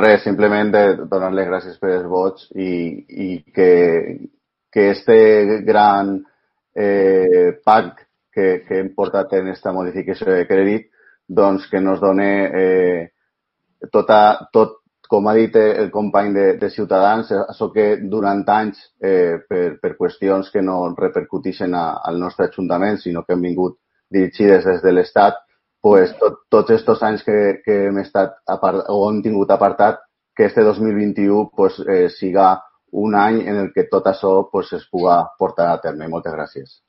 Res, simplement de donar-li gràcies per els vots i que este gran pack que hem portat en esta modificació de crèdit, doncs que nos done tot, com ha dit el company de Ciutadans, això que durant anys, per qüestions que no repercuteixen al nostre Ajuntament, sinó que han vingut dirigides des de l'Estat, pues, tots aquests anys que hem estat o hem tingut apartat, que este 2021 pues, siga un any en el que tot això pues, es puga portar a terme. Moltes gràcies.